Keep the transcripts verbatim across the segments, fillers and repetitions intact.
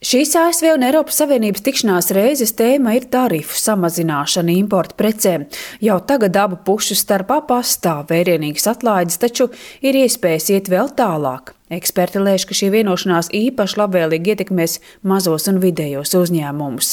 Šīs A S V un Eiropas Savienības tikšanās reizes tēma ir tarifu samazināšana importa precēm. Jau tagad abu pušu starpā pastāv vērienīgas atlaides, taču ir iespējas iet vēl tālāk. Eksperti lēš, ka šī vienošanās īpaši labvēlīgi ietekmēs mazos un vidējos uzņēmumus.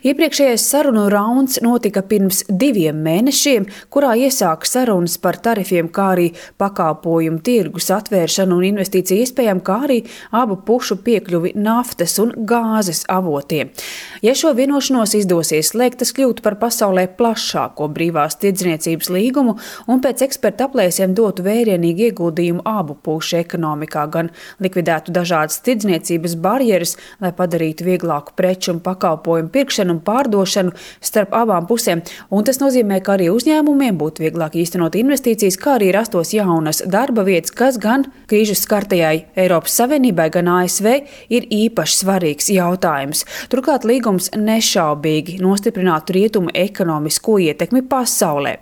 Iepriekšējais sarunu rauns notika pirms diviem mēnešiem, kurā iesāka sarunas par tarifiem, kā arī pakalpojumu tirgus atvēršanu un investīciju iespējām, kā arī abu pušu piekļuvi naftas un gāzes avotiem. Ja šo vienošanos izdosies slēgt, tas kļūtu par pasaulē plašāko brīvās tirdzniecības līgumu un pēc eksperta aplēsiem dotu vērienīgu ieguldījumu abu pušu ekonomikā, gan likvidētu dažādas tirdzniecības barjeras, lai padarītu vieglāku preču un pakalpojumu pirkšanu un pārdošanu starp abām pusēm. Un tas nozīmē, ka arī uzņēmumiem būtu vieglāk īstenot investīcijas, kā arī rastos jaunas darba vietas, kas gan krīžas skartajai Eiropas Savienībai, gan A S V ir īpaši svarīgs jautājums. Turklāt līgums nešaubīgi nostiprinātu rietumu ekonomisko ietekmi pasaulē.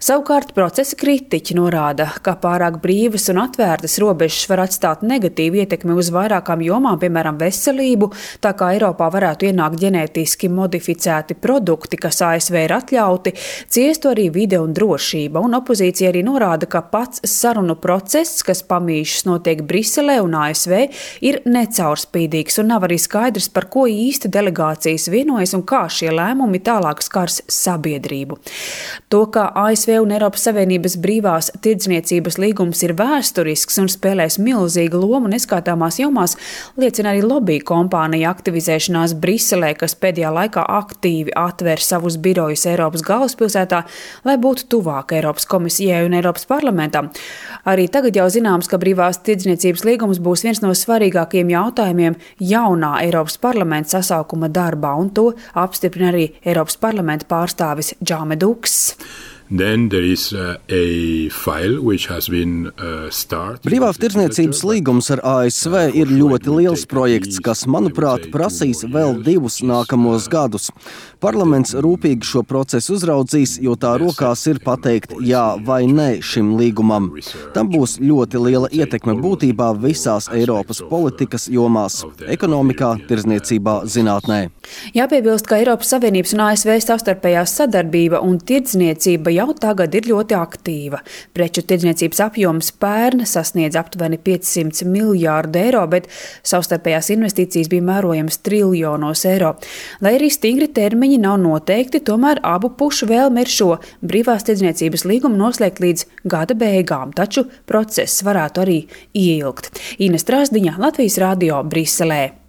Savukārt procesa kritiķi norāda, ka pārāk brīvas un atvērtas robežas var atstāt negatīvu ietekmi uz vairākām jomām, piemēram, veselību, tā kā Eiropā varētu ienākt ģenētiski modificēti produkti, kas A S V ir atļauti, ciestu arī vide un drošība. Un opozīcija arī norāda, ka pats sarunu process, kas pamīšas notiek Briselē un A S V, ir necaurspīdīgs un nav arī skaidrs, par ko īsti delegācijas vienojas un kā šie lēmumi tālāk skars sabiedrību. To, ka A S V un Eiropas Savienības brīvās tirdzniecības līgums ir vēsturisks un spēlēs milzīgu lomu neskaitāmās jomās, liecina arī lobby kompānija aktivizēšanās Briselē, kas pēdējā laikā aktīvi atver savus birojus Eiropas galvaspilsētā, lai būtu tuvāk Eiropas komisijai un Eiropas parlamentam. Arī tagad jau zināms, ka brīvās tirdzniecības līgums būs viens no svarīgākajiem jautājumiem jaunā Eiropas parlamenta sasaukuma darbā, un to apstiprina arī Eiropas parlamenta pārstāvis Džame Duks. Then there is uh, a file which has been uh, started. Brīvās tirdzniecības līgums ar A S V ir ļoti liels projekts, kas, manuprāt, prasīs vēl divus nākamos gadus. Parlaments rūpīgi šo procesu uzraudzīs, jo tā rokās ir pateikt jā vai nē šim līgumam. Tam būs ļoti liela ietekme būtībā visās Eiropas politikas jomās – ekonomikā, tirdzniecībā, zinātnē. Jāpiebilst, ka Eiropas Savienības un A S V savstarpējā sadarbība un tirdzniecība jau tagad ir ļoti aktīva. Preču tirdzniecības apjoms pērn sasniedz aptuveni piecsimt miljārdu eiro, bet savstarpējās investīcijas bija mērojams triljonos eiro. Lai arī stingri termiņi nav noteikti, tomēr abu pušu vēlme ir šo brīvās tirdzniecības līgumu noslēgt līdz gada beigām, taču process varētu arī ieilgt. Ines Trasdiņa, Latvijas radio, Briselē.